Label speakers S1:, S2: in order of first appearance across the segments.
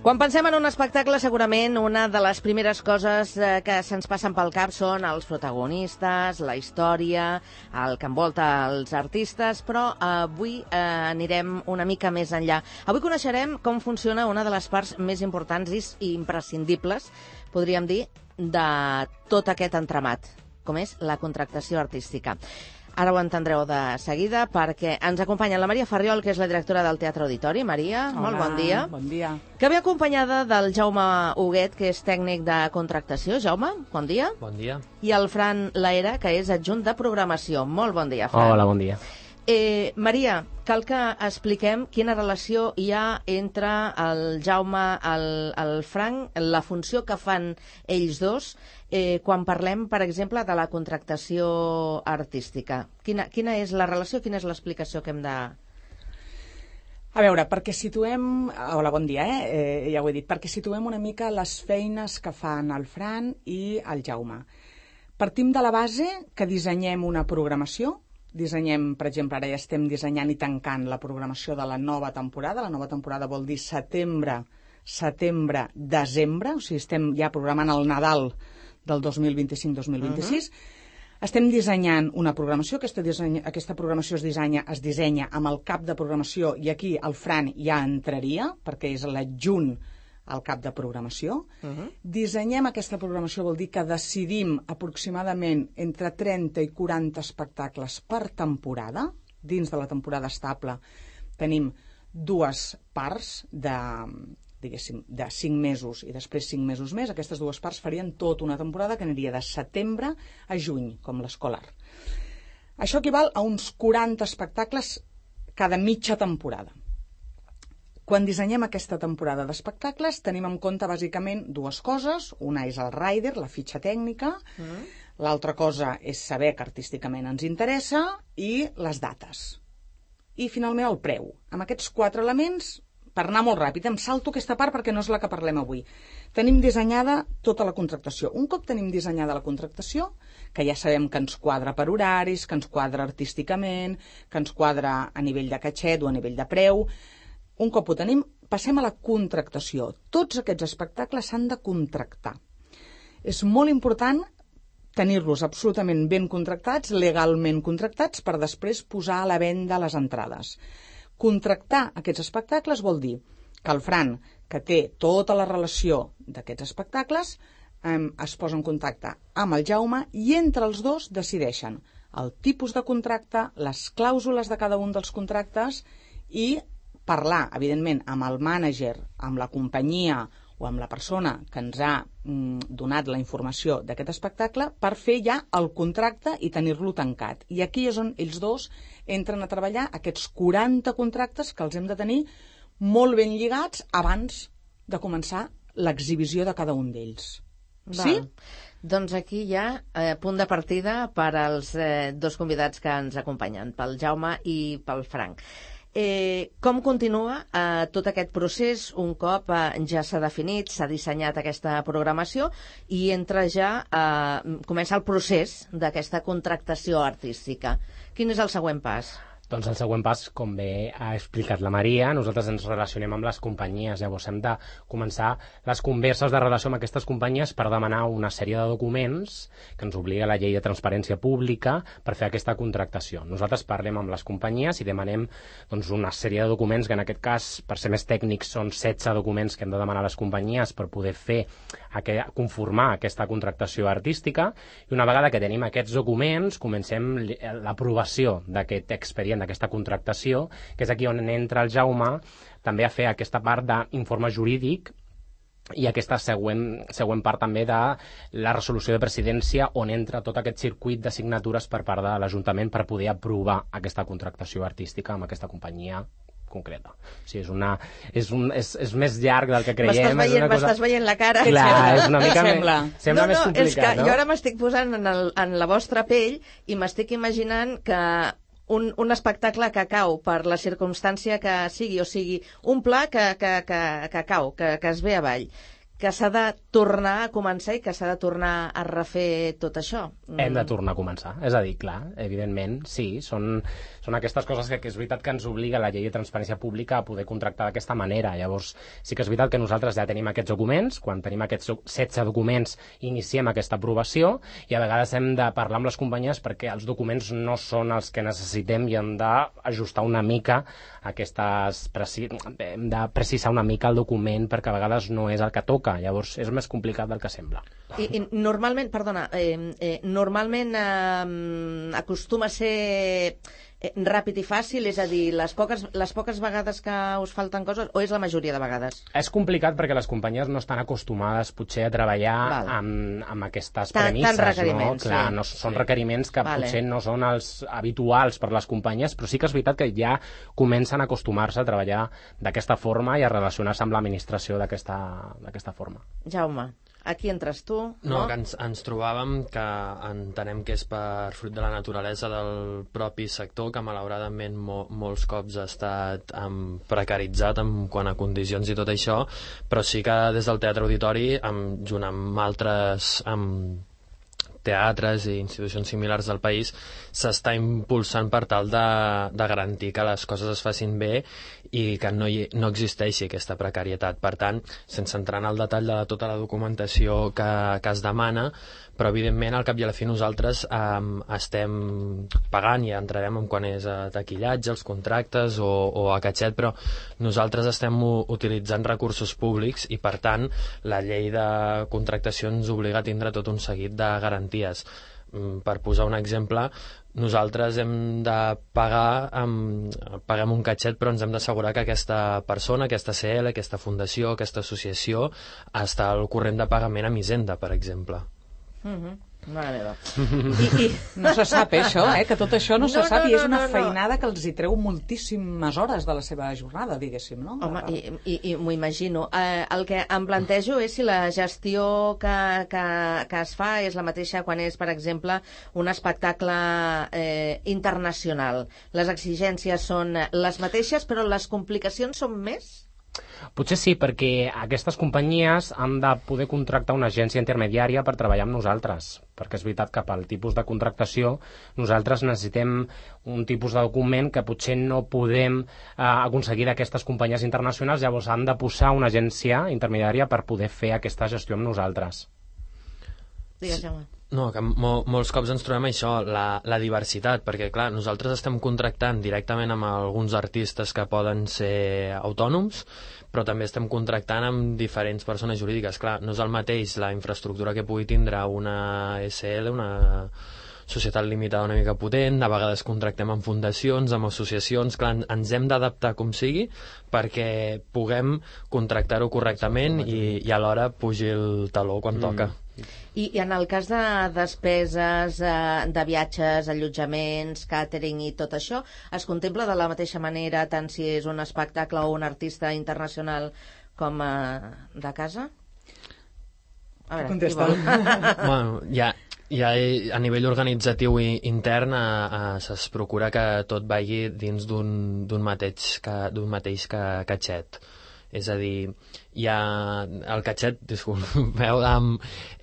S1: Quan pensem en un espectacle, segurament una de les primeres coses que se'ns passen pel cap són els protagonistes, la història, el que envolta els artistes, però avui anirem una mica més enllà. Avui coneixerem com funciona una de les parts més importants i imprescindibles, podríem dir, de tot aquest entramat, com és la contractació artística. Ara ho entendreu de seguida perquè ens acompanya la Maria Farriol, que és la directora del Teatre Auditori. Maria, molt bon dia.
S2: Bon dia.
S1: Que ve acompanyada del Jaume Huguet, que és tècnic de contractació. Jaume, bon dia.
S3: Bon dia.
S1: I el Fran Laera, que és adjunt de programació. Molt bon dia, Fran.
S3: Hola, bon dia.
S1: Maria, cal que expliquem quina relació hi ha entre el Jaume, el Frank, la funció que fan ells dos, quan parlem, per exemple, de la contractació artística. Quina és la relació, quina és l'explicació que hem de...
S2: A veure, perquè situem... Hola, bon dia, ja ho he dit. Perquè situem una mica les feines que fan el Fran i el Jaume. Partim de la base que dissenyem una programació. Dissenyem, per exemple, ara ja estem dissenyant i tancant la programació de la nova temporada. La nova temporada vol dir setembre, desembre, o sigui, estem ja programant el Nadal del 2025-2026. Estem dissenyant una programació, aquesta programació es dissenya amb el cap de programació i aquí el Fran ja entraria, perquè és l'adjunt al cap de programació. Dissenyem aquesta programació, vol dir que decidim aproximadament entre 30 i 40 espectacles per temporada. Dins de la temporada estable tenim dues parts de 5 mesos i després 5 mesos més. Aquestes dues parts farien tota una temporada que aniria de setembre a juny, com l'escolar. Això equival a uns 40 espectacles cada mitja temporada. Quan dissenyem aquesta temporada d'espectacles tenim en compte bàsicament dues coses. Una és el rider, la fitxa tècnica. L'altra cosa és saber que artísticament ens interessa i les dates. I finalment el preu. Amb aquests 4 elements, per anar molt ràpid, em salto aquesta part perquè no és la que parlem avui. Tenim dissenyada tota la contractació. Un cop tenim dissenyada la contractació, que ja sabem que ens quadra per horaris, que ens quadra artísticament, que ens quadra a nivell de catxet o a nivell de preu, un cop ho tenim, passem a la contractació. Tots aquests espectacles s'han de contractar. És molt important tenir-los absolutament ben contractats, legalment contractats, per després posar a la venda les entrades. Contractar aquests espectacles vol dir que el Fran, que té tota la relació d'aquests espectacles, es posa en contacte amb el Jaume i entre els dos decideixen el tipus de contracte, les clàusules de cada un dels contractes i parlar, evidentment, amb el mànager, amb la companyia o amb la persona que ens ha donat la informació d'aquest espectacle per fer ja el contracte i tenir-lo tancat. I aquí és on ells dos entren a treballar aquests 40 contractes que els hem de tenir molt ben lligats abans de començar l'exhibició de cada un d'ells. Sí?
S1: Doncs aquí hi ha punt de partida per als dos convidats que ens acompanyen, pel Jaume i pel Frank. Com continua tot aquest procés un cop ja s'ha definit, s'ha dissenyat aquesta programació i comença el procés d'aquesta contractació artística? Quin és el següent pas?
S3: Doncs el següent pas, com bé ha explicat la Maria, nosaltres ens relacionem amb les companyies. Llavors hem de començar les converses de relació amb aquestes companyies per demanar una sèrie de documents que ens obliga la llei de transparència pública per fer aquesta contractació. Nosaltres parlem amb les companyies i demanem una sèrie de documents que en aquest cas, per ser més tècnics, són 16 documents que hem de demanar a les companyies per poder conformar aquesta contractació artística. I una vegada que tenim aquests documents, comencem l'aprovació d'aquest expedient, d'aquesta contractació, que és aquí on entra el Jaume també a fer aquesta part d'informe jurídic i aquesta següent part també de la resolució de presidència on entra tot aquest circuit de signatures per part de l'Ajuntament per poder aprovar aquesta contractació artística amb aquesta companyia concreta. O sigui, és més llarg del que creiem.
S1: M'estàs veient la cara.
S3: Clar, és una mica sembla més complicat,
S1: és que jo ara m'estic posant en la vostra pell i m'estic imaginant que un espectacle que cau per la circumstància que sigui, o sigui, un pla que cau, que es ve avall. que s'ha de tornar a començar i que s'ha de tornar a refer tot això.
S3: Hem de tornar a començar. És a dir, clar, evidentment, sí, són aquestes coses que és veritat que ens obliga la llei de transparència pública a poder contractar d'aquesta manera. Llavors, sí que és veritat que nosaltres ja tenim aquests documents, quan tenim aquests 16 documents iniciem aquesta aprovació i a vegades hem de parlar amb les companyies perquè els documents no són els que necessitem i hem d'ajustar una mica hem de precisar una mica el document perquè a vegades no és el que toca. Llavors és més complicat del que sembla.
S1: I normalment, perdona, normalment acostuma a ser ràpid i fàcil, és a dir, les poques vegades que us falten coses, o és la majoria de vegades?
S3: És complicat perquè les companyies no estan acostumades potser a treballar amb aquestes premisses.
S1: Tant requeriments.
S3: No? Clar, no són requeriments que potser no són els habituals per les companyies, però sí que és veritat que ja comencen a acostumar-se a treballar d'aquesta forma i a relacionar-se amb l'administració d'aquesta forma.
S1: Jaume, aquí entres tu,
S4: no? Que ens trobàvem que entenem que és per fruit de la naturalesa del propi sector, que malauradament molts cops ha estat precaritzat en quant a condicions i tot això, però sí que des del Teatre Auditori, junt amb altres teatres i institucions similars del país, s'està impulsant per tal de garantir que les coses es facin bé i que no existeixi aquesta precarietat. Per tant, sense entrar en el detall de tota la documentació que es demana, però evidentment al cap i a la fi nosaltres estem pagant, i entrarem en quan és a taquillatge, els contractes o a catxet, però nosaltres estem utilitzant recursos públics i per tant la llei de contractació ens obliga a tindre tot un seguit de garanties. Per posar un exemple, nosaltres hem de paguem un catxet, però ens hem d'assegurar que aquesta persona, aquesta CL, aquesta fundació, aquesta associació està al corrent de pagament amb Hisenda, per exemple.
S1: Mare meva.
S2: No se sap, això, que tot això no se sap, i és una feinada que els hi treu moltíssimes hores de la seva jornada, diguéssim, no?
S1: Home, i m'ho imagino. El que em plantejo és si la gestió que es fa és la mateixa quan és, per exemple, un espectacle internacional. Les exigències són les mateixes, però les complicacions són més?
S3: Potser sí, perquè aquestes companyies han de poder contractar una agència intermediària per treballar amb nosaltres, perquè és veritat que pel tipus de contractació nosaltres necessitem un tipus de document que potser no podem aconseguir d'aquestes companyies internacionals, llavors han de posar una agència intermediària per poder fer aquesta gestió amb nosaltres.
S1: Digues, Jaume.
S4: No, que molts cops ens trobem això, la diversitat, perquè clar, nosaltres estem contractant directament amb alguns artistes que poden ser autònoms, però també estem contractant amb diferents persones jurídiques. Clar, no és el mateix la infraestructura que pugui tindre una SL, una societat limitada una mica potent, a vegades contractem amb fundacions, amb associacions, clar, ens hem d'adaptar com sigui perquè puguem contractar-ho correctament i alhora pugi el taló quan toca.
S1: I en el cas de despeses de viatges, allotjaments, càtering i tot això, es contempla de la mateixa manera tant si és un espectacle o un artista internacional com de casa? A veure,
S2: contesta.
S4: Bueno, ja a nivell organitzatiu i intern es procura que tot vagi dins d'un mateix catxet. És a dir, el catxet, disculpeu,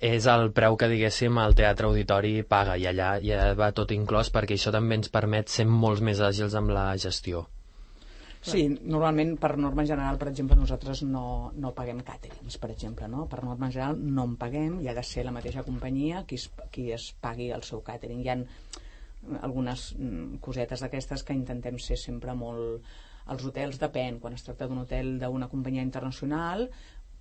S4: és el preu que, diguéssim, el Teatre Auditori paga, i allà ja va tot inclòs, perquè això també ens permet ser molt més àgils amb la gestió.
S2: Sí, normalment, per norma general, per exemple, nosaltres no paguem càterings, per exemple, no? Per norma general no en paguem, i ha de ser la mateixa companyia qui es pagui el seu càtering. Hi ha algunes cosetes d'aquestes que intentem ser sempre molt... Els hotels depèn, quan es tracta d'un hotel d'una companyia internacional,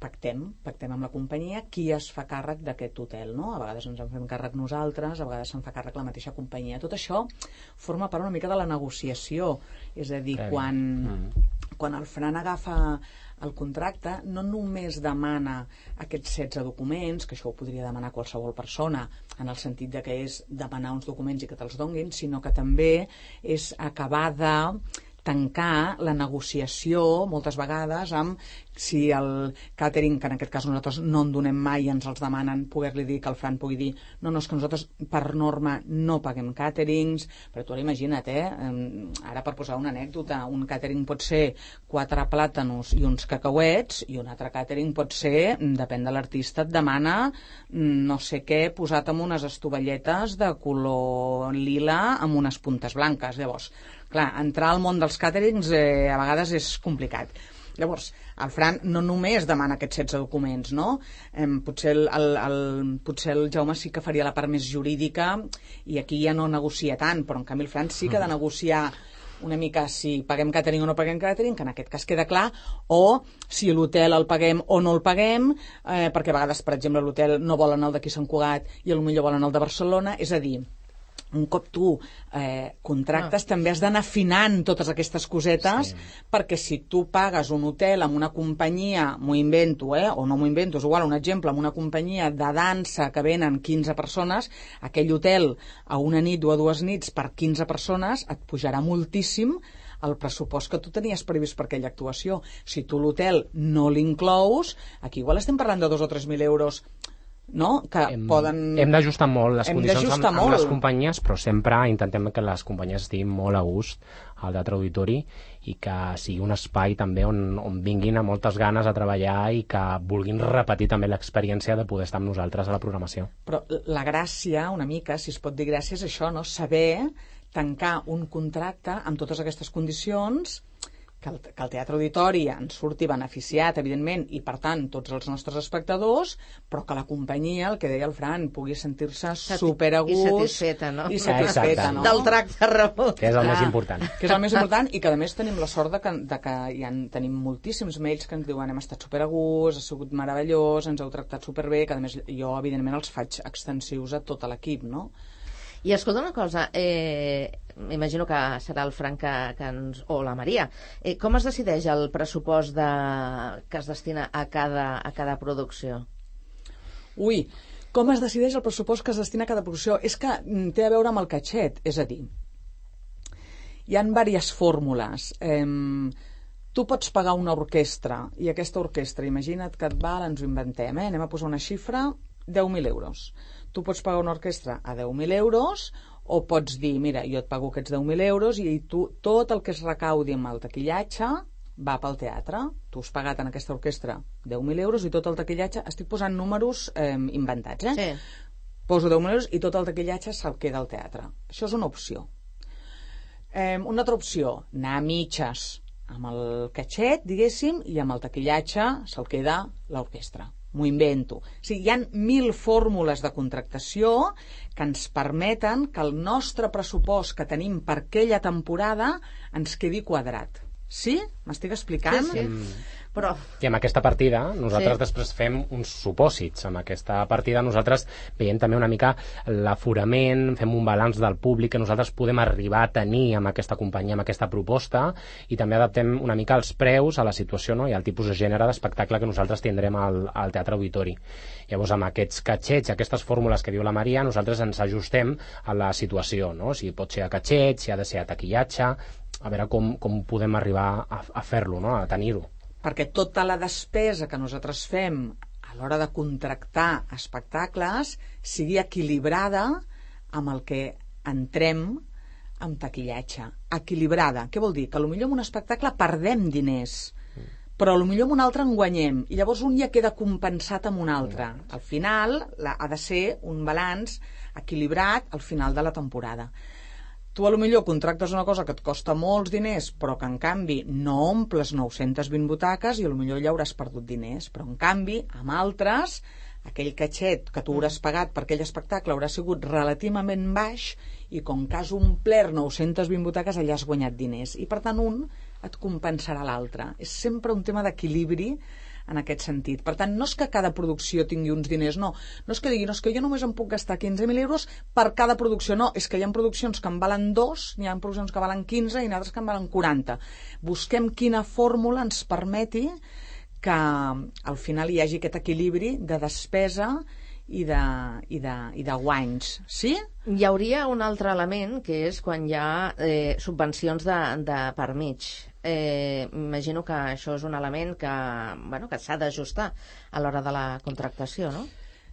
S2: pactem amb la companyia qui es fa càrrec d'aquest hotel, no? A vegades ens en fem càrrec nosaltres, a vegades se'n fa càrrec la mateixa companyia. Tot això forma part una mica de la negociació, és a dir, quan el Fran agafa el contracte, no només demana aquests 16 documents, que això ho podria demanar qualsevol persona, en el sentit de que és demanar uns documents i que te'ls donguin, sinó que també és acabar de tancar la negociació moltes vegades amb si el càtering, que en aquest cas nosaltres no en donem mai i ens els demanen, poder-li dir que el Fran pugui dir no, és que nosaltres per norma no paguem càterings, però tu ara imagina't, ara per posar una anècdota, un càtering pot ser 4 plàtanos i uns cacauets i un altre càtering pot ser, depèn de l'artista, et demana no sé què posat amb unes estovalletes de color lila amb unes puntes blanques. Llavors, clar, entrar al món dels càterings a vegades és complicat. Llavors, el Fran no només demana aquests 16 documents, no? Potser el Jaume sí que faria la part més jurídica i aquí ja no negocia tant, però en canvi el Fran sí que ha de negociar una mica si paguem càtering o no paguem càtering, que en aquest cas queda clar, o si l'hotel el paguem o no el paguem, perquè a vegades, per exemple, l'hotel no volen el d'aquí Sant Cugat i potser volen el de Barcelona, és a dir, un cop tu contractes també has d'anar afinant totes aquestes cosetes, perquè si tu pagues un hotel amb una companyia, m'ho invento, o no m'ho invento, és igual, un exemple, amb una companyia de dansa que venen 15 persones, aquell hotel a una nit o a 2 nits per 15 persones et pujarà moltíssim el pressupost que tu tenies previst per aquella actuació. Si tu l'hotel no l'inclous, aquí igual estem parlant de 2 o 3.000 euros, no? Que poden...
S3: Hem d'ajustar molt les condicions amb les companyies, però sempre intentem que les companyies estiguin molt a gust al Teatre Auditori i que sigui un espai també on vinguin amb moltes ganes a treballar i que vulguin repetir també l'experiència de poder estar amb nosaltres a la programació.
S2: Però la gràcia, una mica, si es pot dir gràcia, és això, no? Saber tancar un contracte amb totes aquestes condicions, que el Teatre Auditori ens surti beneficiat, evidentment, i per tant tots els nostres espectadors, però que la companyia, el que deia el Fran, pugui sentir-se super a gust.
S1: I satisfeta, no?
S2: I satisfeta, no?
S1: Del tracte rebut.
S3: Que és el més important.
S2: Que és el més important i que a més tenim la sort de que tenim moltíssims mails que ens diuen hem estat super a gust, ha sigut meravellós, ens heu tractat superbé, que a més jo evidentment els faig extensius a tot l'equip, no?
S1: I escolta una cosa, m'imagino que serà el Frank o la Maria. Com es decideix el pressupost que es destina a cada producció?
S2: Ui, com es decideix el pressupost que es destina a cada producció? És que té a veure amb el catxet, és a dir, hi ha diverses fórmules. Tu pots pagar una orquestra i aquesta orquestra, imagina't que et val, ens ho inventem, anem a posar una xifra, 10.000 euros. Tu pots pagar una orquestra a 10.000 euros o pots dir, mira, jo et pago aquests 10.000 euros i tu tot el que es recaudi amb el taquillatge va pel teatre. Tu has pagat en aquesta orquestra 10.000 euros i tot el taquillatge, estic posant números inventats,
S1: Sí.
S2: Poso 10.000 euros i tot el taquillatge se'l queda al teatre. Això és una opció. Una altra opció, anar a mitges amb el catxet, diguéssim, i amb el taquillatge se'l queda l'orquestra. M'ho invento. O sigui, hi ha 1.000 fórmules de contractació que ens permeten que el nostre pressupost que tenim per aquella temporada ens quedi quadrat. Sí? M'estic explicant?
S1: Sí. Però...
S3: I amb aquesta partida nosaltres després fem uns supòsits. Amb aquesta partida nosaltres veiem també una mica l'aforament, fem un balanç del públic que nosaltres podem arribar a tenir amb aquesta companyia, amb aquesta proposta, i també adaptem una mica els preus a la situació, no? I al tipus de gènere d'espectacle que nosaltres tindrem al Teatre Auditori. Llavors, amb aquests catxets, aquestes fórmules que diu la Maria, nosaltres ens ajustem a la situació, no? Si pot ser a catxet, si ha de ser a taquillatge, a veure com podem arribar a fer-lo, no? A tenir-ho.
S2: Perquè tota la despesa que nosaltres fem a l'hora de contractar espectacles sigui equilibrada amb el que entrem amb taquillatge. Equilibrada. Què vol dir? Que potser en un espectacle perdem diners, però potser en un altre en guanyem, i llavors un ja queda compensat amb un altre. Al final ha de ser un balanç equilibrat al final de la temporada. Tu potser contractes una cosa que et costa molts diners, però que en canvi no omples 920 butaques i potser ja hauràs perdut diners. Però en canvi, amb altres, aquell catxet que tu hauràs pagat per aquell espectacle haurà sigut relativament baix i com que has omplert 920 butaques allà has guanyat diners. I per tant un et compensarà l'altre. És sempre un tema d'equilibri en aquest sentit. Per tant, no és que cada producció tingui uns diners, no és que digui, no és que jo només em puc gastar 15.000 euros per cada producció, no, és que hi ha produccions que en valen 2, hi ha produccions que valen 15 i altres que en valen 40. Busquem quina fórmula ens permeti que al final hi hagi aquest equilibri de despesa i de guanys. Sí?
S1: Hi hauria un altre element, que és quan hi ha subvencions de per mig. Imagino que això és un element que s'ha d'ajustar a l'hora de la contractació, no?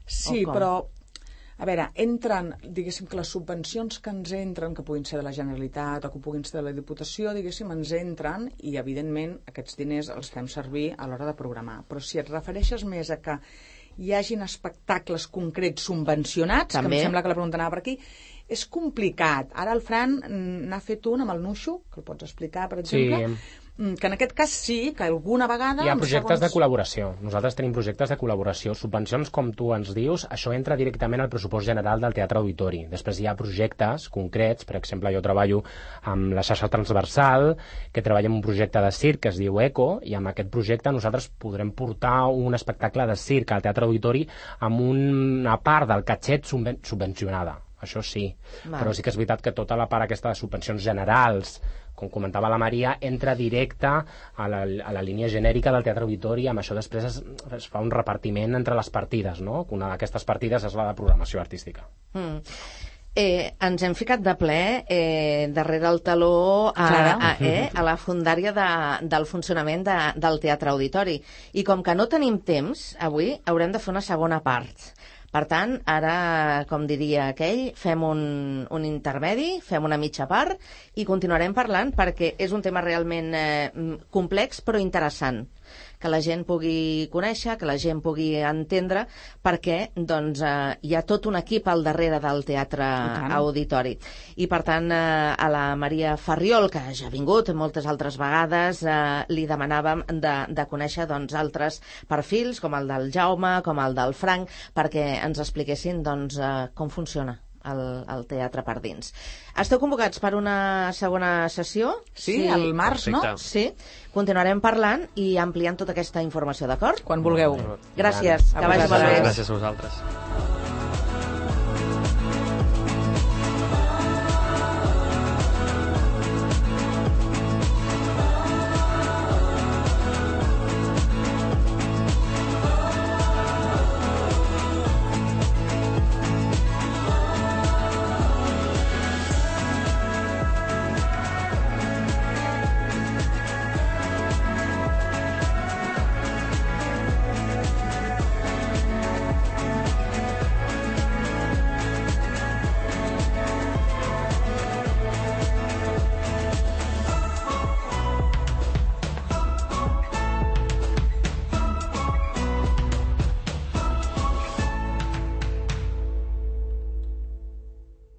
S2: Sí, però a veure, entren, diguéssim que les subvencions que ens entren, que puguin ser de la Generalitat o que puguin ser de la Diputació, diguéssim, ens entren i, evidentment, aquests diners els fem servir a l'hora de programar. Però si et refereixes més a que hi hagin espectacles concrets subvencionats,
S1: també,
S2: que em sembla que la pregunta anava per aquí, és complicat. Ara el Fran n'ha fet un amb el Nuixo, que el pots explicar, per exemple, que en aquest cas sí, que alguna vegada...
S3: Hi ha projectes de col·laboració. Nosaltres tenim projectes de col·laboració. Subvencions, com tu ens dius, això entra directament al pressupost general del Teatre Auditori. Després hi ha projectes concrets, per exemple, jo treballo amb la xarxa transversal, que treballa en un projecte de circ que es diu ECO, i amb aquest projecte nosaltres podrem portar un espectacle de circ al Teatre Auditori amb una part del catxet subvencionada. Això sí, però sí que és veritat que tota la part aquesta de subvencions generals, com comentava la Maria, entra directe a la línia genèrica del Teatre Auditori. Amb això després es fa un repartiment entre les partides, no? Una d'aquestes partides és la de programació artística.
S1: Ens hem ficat de ple darrere el taló a la fundària del funcionament del Teatre Auditori. I com que no tenim temps, avui haurem de fer una segona part. Per tant, ara, com diria aquell, fem un intermedi, fem una mitja part i continuarem parlant perquè és un tema realment complex però interessant, que la gent pugui conèixer, que la gent pugui entendre, perquè doncs, hi ha tot un equip al darrere del Teatre Auditori. I per tant, a la Maria Farriol, que ja ha vingut moltes altres vegades, li demanàvem de conèixer altres perfils, com el del Jaume, com el del Frank, perquè ens expliquessin com funciona el teatre per dins. Esteu convocats per una segona sessió?
S2: Sí, al març, no?
S1: Sí. Continuarem parlant i ampliant tota aquesta informació, d'acord?
S2: Quan vulgueu.
S1: Gràcies. Que vagi molt bé.
S4: Gràcies a vosaltres.